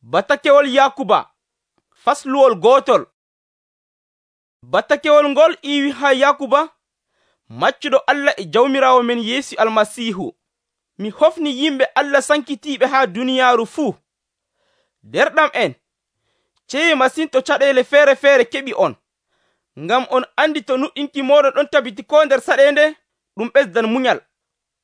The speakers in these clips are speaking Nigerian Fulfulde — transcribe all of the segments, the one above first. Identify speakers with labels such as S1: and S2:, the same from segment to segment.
S1: Batakewol Yakuba fasluwol gootol. Batakewol ngol iwi ha Yakuba, maccuɗo Allah e Jawmiraawo men Yeesu Almasiihu. Mi hofni yimɓe Allah sankitiiɓe ha duniyaaru fuu. Derɗam en, ceeye masin to caɗeele feere-feere keɓi on, ngam on andi to nuɗɗinki mooɗon ɗon tabiti koo nder saɗeende, ɗum ɓesdan munyal.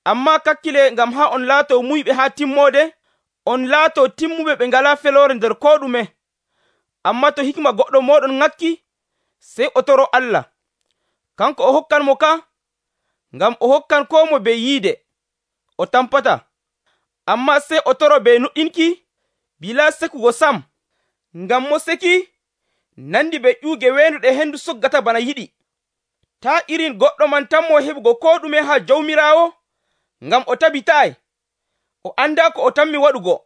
S1: Ammaa kakkile ngam haa on laatoo muyɓe haa timmoode, on laatoo timmuɓe ɓe ngalaa feloore nder koo ɗume. Ammaa to hikma goɗɗo mooɗon ŋakki, sey o toroo Allah. Kanko o hokkanmo ka, ngam o hokkan koo mo bee yiide, o tampata. Ammaa sey o toroo bee nuɗɗinki, bilaa sekugo sam, ngam mo seki nandi bee ƴuuge weenduɗe hendu soggata bana yiɗi. Taa irin goɗɗo man tammo heɓugo koo ɗume haa Jawmiraawo, ngam o tabitaayi, o andaa ko o tammi waɗugo.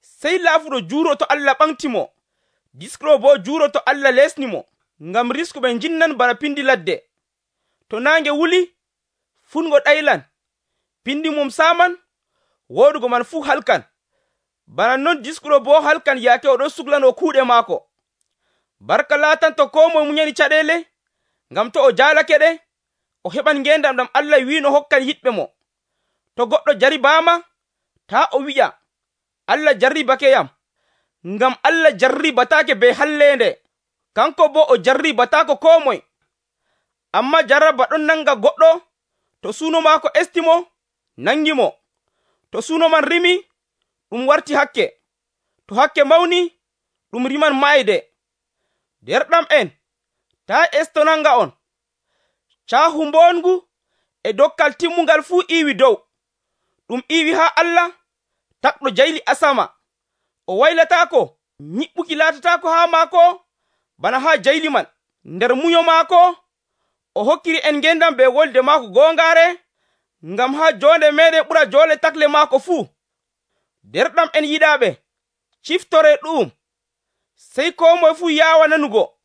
S1: Sey laafuɗo juuroo to Allah ɓamtimo, diskuɗo boo juuroo to Allah lesnimo, ngam riskuɓe njinnan bana pindi ladde. To naange wuli, fungo ɗaylan, pindi mum saaman, woodugo man fuu halkan. Bana non diskuɗo boo halkan yaake o ɗon suglanoo kuuɗe maako. Barka laatanto koo moye munyani caɗeele, ngam to o jaalake ɗe, o heɓan ngeendam ɗam Allah wi'ino hokkan yiɗɓe mo. To goɗɗo jaribaama, taa o wi'a, Allah jarribakeyam, ngam Allah jarribataake bee halleende, kanko boo o jarribataako koo moye. Ammaa jarraba ɗon nanga goɗɗo to suuno maako estimo, nangimo. To suuno man rimi, ɗum warti hakke. To hakke mawni, ɗum riman maayde. Derɗam en, taa esto nanga on. Caahu mboongu e dokkal timmungal fuu iwi dow. Ɗum iwi haa Allah, takɗo jayli asama. O waylataako, nyiɓɓuki laatataako haa maako bana haa jayli man. Nder munyo maako, o hokkiri en ngendam bee wolde maako goongaare, ngam haa joonde meeɗen ɓura joole takle maako fuu. Derɗam en yiɗaaɓe, ciftoree ɗu'um, sey koo moye fuu yaawa nanugo,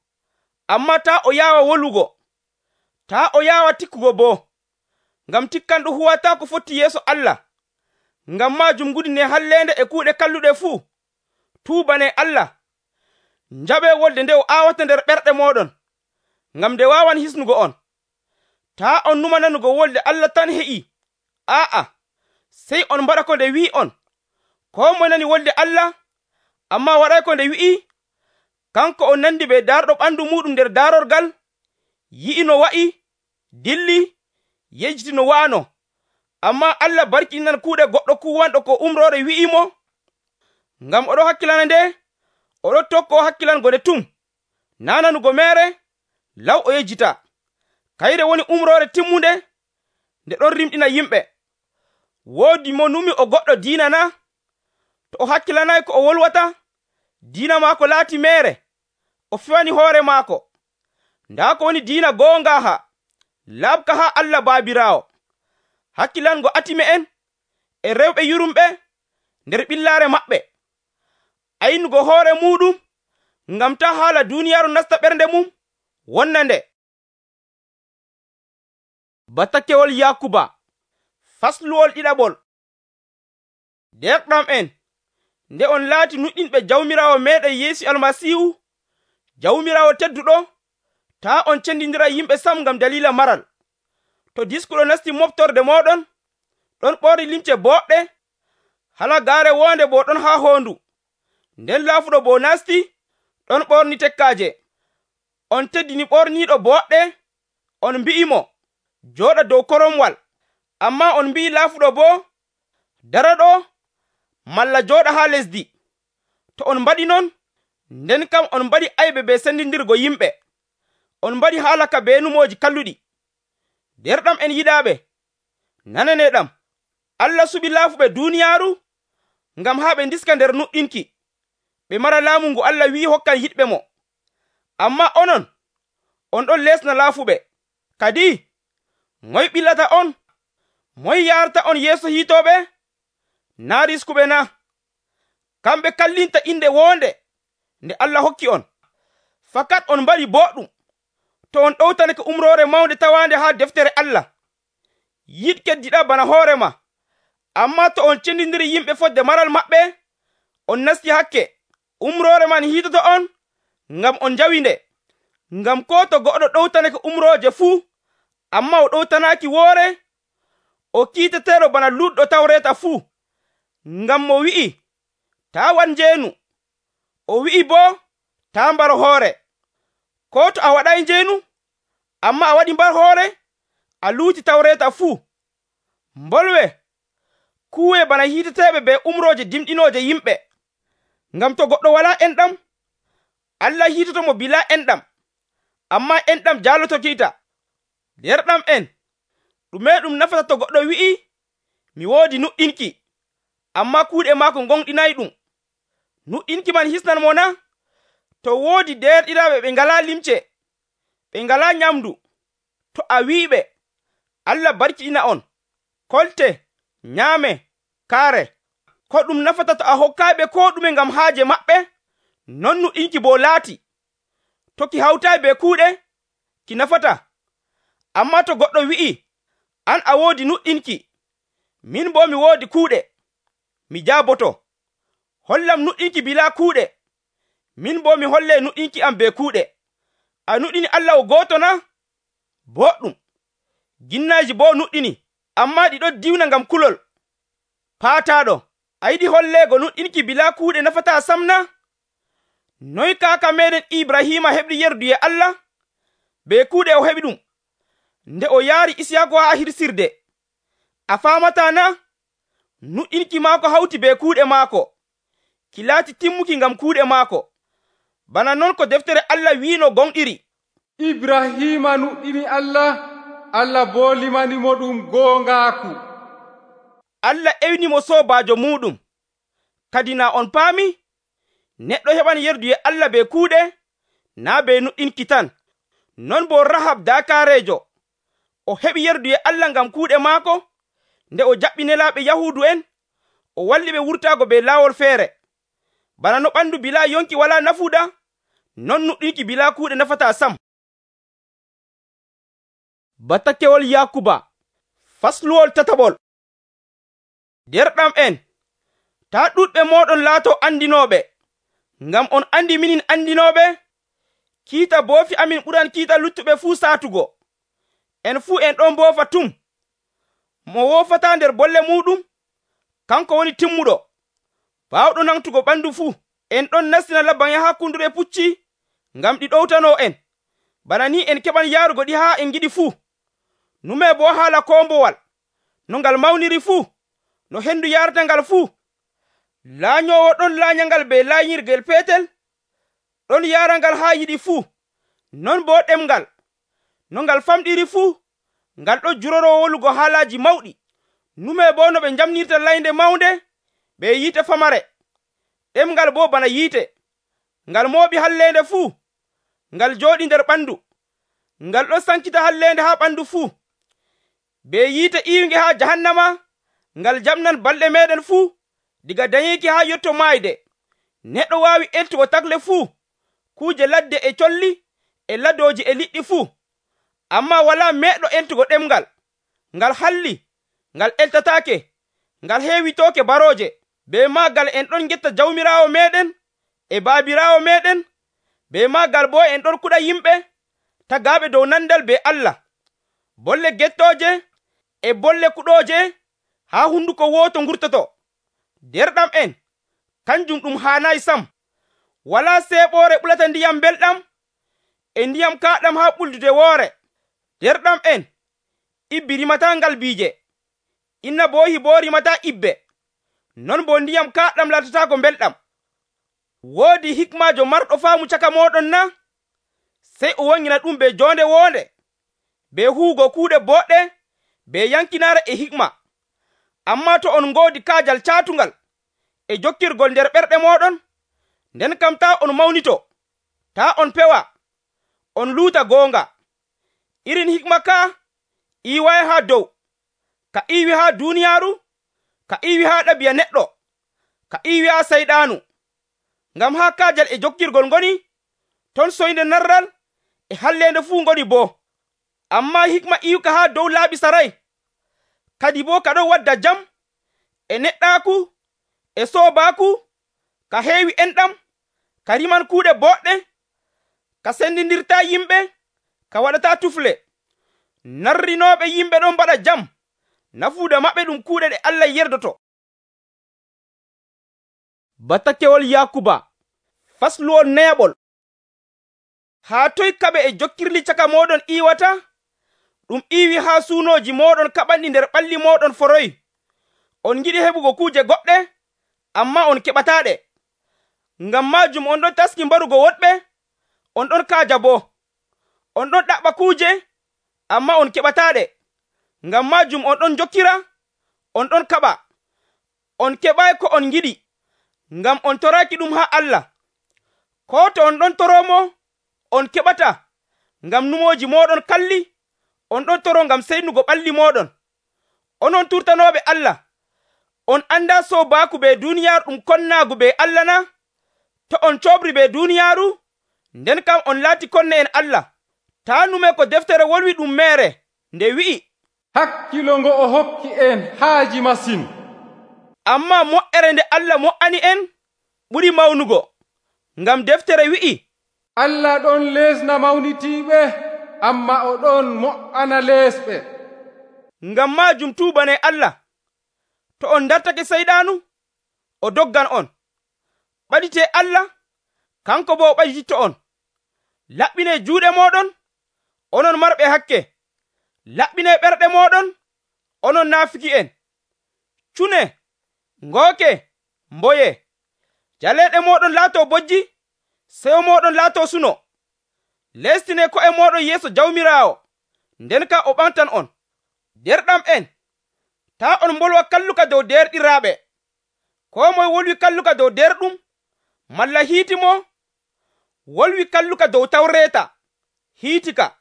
S1: ammaa taa o yaawa wolugo, taa o yaawa tikkugo boo, ngam tikkanɗo huwataa ko foti yeeso Allah. Ngam maajum ngudine halleende e kuuɗe kalluɗe fuu. Tuubanee Allah. Njaɓee wolde nde o aawata nder ɓerɗe mooɗon, ngam nde waawan hisnugo on. Taa on numa nanugo wolde Allah tan heƴi. Aa'a, sey on mbaɗa ko nde wi'i on. Koo moye nani wolde Allah, ammaa waɗay ko nde wi'i, kanko on nandi bee daarɗo ɓandu muuɗum nder daarorgal, yi'i no wa'i, dilli, yejjiti no wa'ano. Ammaa Allah barkinan kuuɗe goɗɗo kuwanɗo ko umroore wi'imo, ngam oɗo hakkilana nde, oɗo tokkoo hakkilango nde tum, naa nanugo meere, law o yejjita. Kayre woni umroore timmunde, nde ɗon rimɗina yimɓe. Woodi mo numi o goɗɗo diina na? To o hakkilanay ko o wolwata, diina maako laati meere, o fewani hoore maako. Ndaa ko woni diina goongaaha, laaɓka haa Allah Baabiraawo. Hakkilango atime en e rewɓe yurumɓe nder ɓillaare maɓɓe. Aynugo hoore muɗum, ngam taa haala duuniyaaru nasta ɓernde mum, wonna nde. Batakewol Yakuba fasluwol ɗiɗaɓol. Derɗam en, nde on laati nuɗɗinɓe Jawmiraawo meeɗen Yeesu Almasiihu, Jawmiraawo tedduɗo, taa on cendindira yimɓe sam ngam dalila maral. To diskuɗo nasti moftorde mooɗon, ɗon ɓorni limce boɗɗe, halagaare wonde boo ɗon haa hoondu. Nden laafuɗo boo nasti, ɗon ɓorni tekkaaje. On teddini ɓorniiɗo boɗɗe, on mbi'imo, jooɗa dow koromwal. Ammaa on mbi'i laafuɗo boo, dara ɗo, malla jooɗa haa lesdi. To on mbaɗi non, nden kam on mbaɗi aybe bee sendindirgo yimɓe. On mbaɗi haala ka bee numooji kalluɗi. Derɗam en yiɗaaɓe, nananeeɗam. Allah suɓi laafuɓe duuniyaaru, ngam haa ɓe ndiska nder nuɗɗinki, ɓe mara laamu ngu Allah wi'i hokkan yiɗɓe mo. Ammaa onon, on ɗon lesna laafuɓe. Kadi, moye ɓillata on? Moye yaarata on yeeso hiitooɓe? Naa riskuɓe na? Kamɓe kallinta inde woonde nde Allah hokki on. Fakat on mbaɗi boɗɗum to on ɗowtanake umroore mawnde tawaande haa deftere Allah. Yiɗ keddiɗa bana hoorema. Ammaa to on cendindiri yimɓe fodde maral maɓɓe, on nasti hakke, umroore man hiitoto on ngam on njawi nde. Ngam ko to goɗɗo ɗowtanake umrooje fuu, ammaa o ɗowtanaaki woore, o kiiteteeɗo bana luɗɗo Tawreeta fuu. Ngam mo wi'i, taa waɗ njeenu, o wi'i boo, taa mbar hoore. Ko to a waɗay njeenu, ammaa a waɗi mbar hoore, a luuti Tawreeta fuu. Mbolwe, kuuwe bana hiiteteeɓe be umrooje dimɗinooje yimɓe. Ngam to goɗɗo walaa enɗam, Allah hiitotomo bilaa enɗam, ammaa enɗam jaaloto kiita. Derɗam en, ɗume ɗum nafata to goɗɗo wi'i, mi woodi nuɗɗinki, ammaa kuuɗe maako gonɗinayɗum? Nuɗɗinki man hisnan mo na? To woodi derɗiraaɓe ɓe ngalaa limce, ɓe ngalaa nyamdu, to a wi'iɓe, Allah barkiɗina on, kolte, nyaame, kaare. Ko ɗum nafata to a hokkaaɓe ko ɗume ngam haaje maɓɓe? Non nuɗɗinki boo laati. To ki hawtaayi be kuuɗe, ki nafata. Ammaa to goɗɗo wi'i, an a woodi nuɗɗinki, min boo mi woodi kuuɗe, mi jaaboto. Hollam nuɗɗinki bilaa kuuɗe, min boo mi holle nuɗɗinki am be kuuɗe. A nuɗɗini Allah o gooto na? Boɗɗum. Ginnaaji boo nuɗɗini, ammaa ɗi ɗon diwna ngam kulol. Paataaɗo, a yiɗi holleego nuɗɗinki bilaa kuuɗe nafataa sam na? Noy kaaka meeɗen Ibrahima heɓi yerdu e Allah? Be kuuɗe o heɓi ɗum, nde o yaari Isiyaaku haa hirsirde. A faamataa na? Nuɗɗinki maako hawti be kuuɗe maako, ki laati timmuki ngam kuuɗe maako. Bana non ko deftere Allah wiino gonɗiri.
S2: Ibrahima nuɗɗini Allah, Allah boo limanimo ɗum goongaaku.
S1: Allah ewnimo soobaajo muɗum. Kadi na on paami? Neɗɗo heɓan yerdu e Allah be kuuɗe, naa be nuɗɗinki tan. Non bo Rahab daakaareejo, o heɓi yerdu e Allah ngam kuuɗe maako, nde o jaɓɓi nelaaɓe Yahuudu en, o walli ɓe wurtaago be laawol feere. Bana no ɓandu bilaa yonki walaa nafuuda, non nuɗɗinki bilaa kuuɗe nafataa sam. Batakewol Yakuba fasluwol tataɓol. Derɗam en, taa ɗuɗɓe mooɗon laato andinooɓe, ngam on andi minin andinooɓe, kiita boofi amin ɓuran kiita luttuɓe fuu saatugo. En fuu en ɗon boofa tum. Mo woofataa nder bolle muɗum, kanko woni timmuɗo, baawɗo nangtugo ɓandu fuu. En ɗon nastina labban yaha kundure pucci, ngam ɗi ɗowtanoo en. Bana ni en keɓan yaarugo ɗi haa en giɗi fuu. Nume boo haala koombowal, no ngal mawniri fuu, no hendu yarata ngal fuu. Laanyoowo ɗon laanyangal be laanyirgel peetel, ɗon yaarangal haa yiɗi fuu. Non boo ɗemngal, no ngal famɗiri fuu, ngal ɗon juroroo wolugo haalaaji mawɗi. Nume boo no ɓe njamnirta laynde mawnde be yiite famare. Ɗemngal boo bana yiite, ngal mooɓi halleende fuu, ngal jooɗi nder ɓandu, ngal ɗon sankita halleende haa ɓandu fuu. Be yiite iiwnge haa jahannama, ngal jaɓnan balɗe meeɗen fuu, diga dañeeki haa yotto maayde. Neɗɗo waawi eltugo tagle fuu, kuuje ladde e colli e ladooji e liɗɗi fuu, ammaa walaa meeɗɗo eltugo ɗemngal. Ngal halli, ngal eltataake, ngal heewitooke barooje. Be maagal en ɗon ngetta jawmiraawo meeɗen e baabiraawo meeɗen, be maagal boo en ɗon kuɗa yimɓe tagaaɓe dow nandal be Allah. Bolle gettooje e bolle kuɗooje haa hunduko wooto ngurtoto. Derɗam en, kanjum ɗum haanayi sam. Walaa seeɓoore ɓulata ndiyam belɗam e ndiyam kaaɗam haa ɓuldude woore. Derɗam en, ibbi rimataa ngalbiije, innabohi boo rimataa ibbe. Non bo ndiyam kaaɗam latataako belɗam. Woodi hikmaajo marɗo faamu caka mooɗon na? Sey o wangina ɗum be joonde woonde, be huugo kuuɗe boɗɗe, be yankinaare e hikma. Ammaa to on ngoodi kaajal caatungal e jokkirgol nder ɓerɗe mooɗon, nden kam taa on mawnito, taa on pewa, on luuta goonga. Irin hikma kaa iiwaay haa dow, ka iiwi haa duuniyaaru, ka iiwi haa ɗabi'a neɗɗo, ka iiwi haa sayɗaanu. Ngam haa kaajal e jokkirgol ngoni, ton soynde narral e halleende fuu ngoni boo. Ammaa hikma iwka haa dow laaɓi saray, kadi boo ka ɗon wadda jam e neɗɗaaku e soobaaku ka heewi enɗam, ka riman kuuɗe boɗɗe, ka sendindirtaa yimɓe, ka waɗataa tufle. Narrinooɓe yimɓe ɗon mbaɗa jam, nafuuda maɓɓe ɗum kuuɗe ɗe Allah yerdoto. Batakewol Yakuba fasluwol neyaɓol. Haa toy kaɓe e jokkirli caka mooɗon iwata? Ɗum iwi haa suunooji mooɗon kaɓanɗi nder ɓalli mooɗon foroy. On ngiɗi heɓugo kuuje goɗɗe, ammaa on keɓataaɗe. Ngam maajum on ɗon taski mbarugo woɗɓe, on ɗon kaaja boo. On ɗon ɗaɓɓa kuuje, ammaa on keɓataaɗe. Ngam maajum on ɗon jokkira, on ɗon kaɓa. On keɓaayi ko on ngiɗi, ngam on toraaki ɗum haa Allah. Koo to on ɗon toroomo, on keɓata, ngam numooji mooɗon kalli, on ɗon toro ngam seynugo ɓalli mooɗon. Onon turtanooɓe Allah, on andaa soobaaku be duuniyaaru ɗum konnaagu be Allah na? To on coobri be duuniyaaru, nden kam on laati konne en Allah. Taa nume ko deftere wolwi ɗum meere, nde wi'i,
S2: hakkilo ngo o hokki en haaji masin.
S1: Ammaa mo'ere nde Allah mo'ani en ɓuri mawnugo, ngam deftere wi'i,
S2: Allah ɗon leesna mawnitiiɓe, ammaa o ɗon mo'ana leesɓe.
S1: Ngam maajum tuubane Allah. To on dartake seyɗaanu, o doggan on. Ɓaditee Allah, kanko boo o ɓadititto on. Laɓɓinee juuɗe mooɗon, onon marɓe hakke. Laɓɓinee ɓerɗe mooɗon, onon naafiki'en. Cune, ngooke, mboye. Jaleeɗe mooɗon laatoo bojji, sewo mooɗon laatoo suno. Lestinee ko'e mooɗon yeeso Jawmiraawo, nden ka o ɓamtan on. Derɗam en, taa on mbolwa kalluka dow derɗiraaɓe. Koo moye wolwi kalluka dow derɗum, malla hiitimo, wolwi kalluka dow tawreeta, hiitika.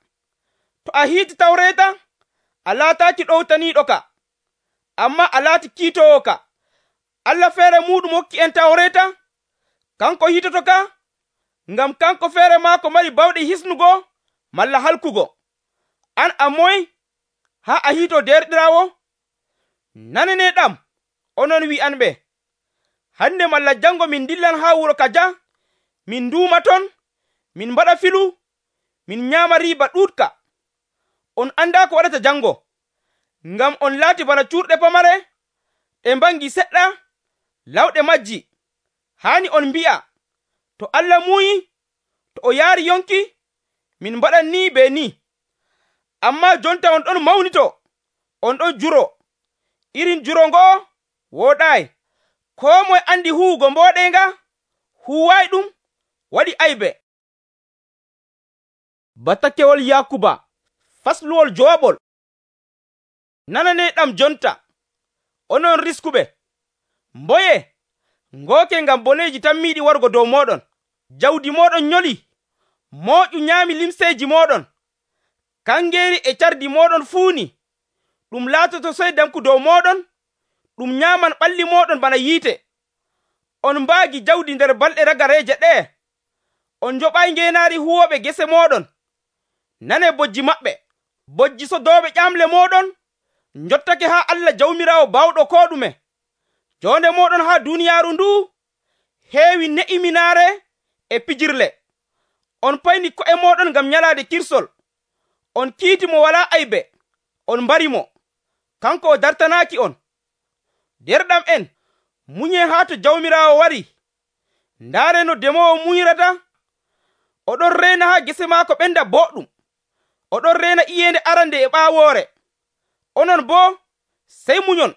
S1: To a hiiti tawreeta, a laataaki ɗowtaniiɗo ka, ammaa a laati kiitoowo ka. Allah feere muuɗum hokki en tawreeta, kanko hiitoto ka, ngam kanko feere maako mari bawɗe hisnugo malla halkugo. An a moy haa a hiitoo derɗiraawo? Nananeeɗam, onon wi'anɓe, hande malla jango min dillan haa wuro kaja, min nduuma ton, min mbaɗa filu, min nyaama riiba ɗuuɗka. On andaa ko waɗata jango, ngam on laati bana cuurɗe pamare, ɗe mbangi seɗɗa, lawɗe majji. Haani on mbi'a, to Allah muuyi, to o yaari yonki, min mbaɗan ni be ni. Ammaa jonta on ɗon mawnito, on ɗon juro. Irin juro ngo'o wooɗaayi. Koo moye andi huwugo mbooɗeenga, huwaayi ɗum, waɗi aybe. Batakewol Yakuba fasluwol jowaɓol. Nananeeɗam jonta, onon riskuɓe. Mboye, ngooke ngam boneeji tammiiɗi wargo dow mooɗon. Jawdi mooɗon nyoli, mooƴu nyaami limseeji mooɗon. Kangeeri e cardi mooɗon fuuni. Ɗum laatoto seydamku dow mooɗon, ɗum nyaaman ɓalli mooɗon bana yiite. On mbaagi jawdi nder balɗe ragareeje ɗee. On njoɓaayi ngeenaari huwooɓe gese mooɗon. Nanee bojji maɓɓe. Bojji sodooɓe ƴamle mooɗon njottake haa Allah Jawmiraawo baawɗo koo ɗume. Joonde mooɗon haa duuniyaaru nduu heewi ne'iminaare e pijirle. On payni ko'e mooɗon ngam nyalaade kirsol. On kiiti mo walaa aybe, on mbari mo. Kanko o dartanaaki on. Derɗam en, muñee haa to Jawmiraawo wari. Ndaare no demoowo muñirata. Oɗon reena haa gese maako ɓenda boɗɗum. Oɗon reena iyeende arande e ɓaawoore. Onon boo, sey muñon.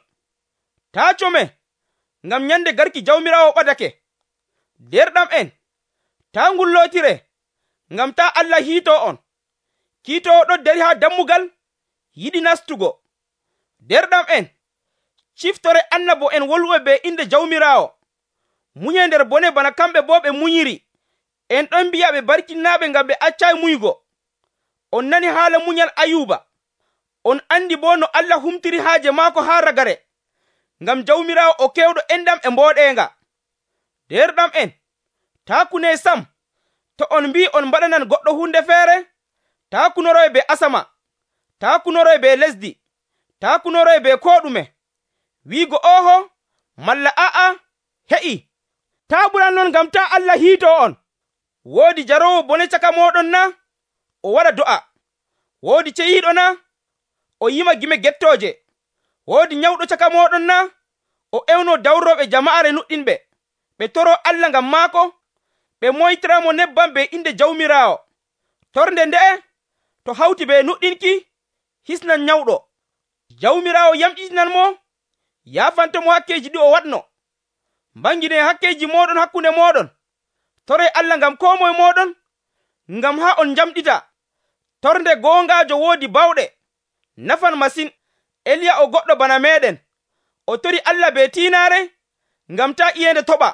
S1: Taa come, ngam nyande garki Jawmiraawo ɓadake. Derɗam en, taa ngullootire, ngam taa Allah hiitoo on. Kiitoowo ɗon dari haa dammugal, yiɗi nastugo. Derɗam en, ciftore annabo en wolwoɓe be inde Jawmiraawo. Muñe nder bone bana kamɓe boo ɓe munyiri. En ɗon mbi'a ɓe barkinnaaɓe ngam ɓe accaayi muygo. On nani haala munyal Ayuba. On andi boo no Allah humtiri haaje maako haa ragare, ngam Jawmiraawo o kewɗo enɗam e mbooɗeenga. Derɗam en, taa kunee sam. To on mbii on mbaɗanan goɗɗo hunde feere, taa kunoroy be asama, taa kunoroy be lesdi, taa kunoroy be koo ɗume. Wiigo oho malla a'a heƴi. taa ɓuran non ngam taa Allah hiito on. Woodi jaroowo bone caka mooɗon na? O waɗa do'a. Woodi ceyiiɗo na? O yima gime gettooje. Woodi nyawɗo caka mooɗon na? O ewno dawrooɓe jama'are nuɗɗinɓe, ɓe toroo Allah ngam maako, ɓe moytiramo nebbam be inde Jawmiraawo. Torde nde'e to hawti be nuɗɗinki, hisnan nyawɗo. Jawmiraawo yamɗitinan mo, yaafantamo hakkeeji ɗi o waɗno. Mbangine hakkeeji mooɗon hakkunde mooɗon. Toree Allah ngam koo moye mooɗon, ngam haa on njamɗita. Torde goongaajo woodi bawɗe, nafan masin. Eliya o goɗɗo bana meeɗen. O tori Allah be tiinaare, ngam taa iyende toɓa.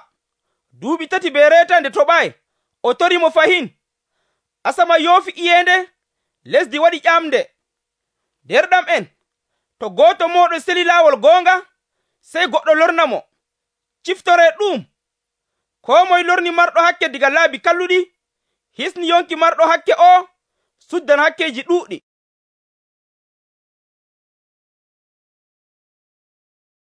S1: Duuɓi 3 be reeta nde toɓaayi, o torimo fahin. Asama yoofi iyende, lesdi waɗi ƴamde. Derɗam'en, to gooto mooɗon seli laawol goonga, sey goɗɗo lornamo, ciftoree ɗum. Koo moye lorni marɗo hakke daga laabi kalluɗi, hisni yonki marɗo hakke o suddan hakkeeji ɗuuɗɗi.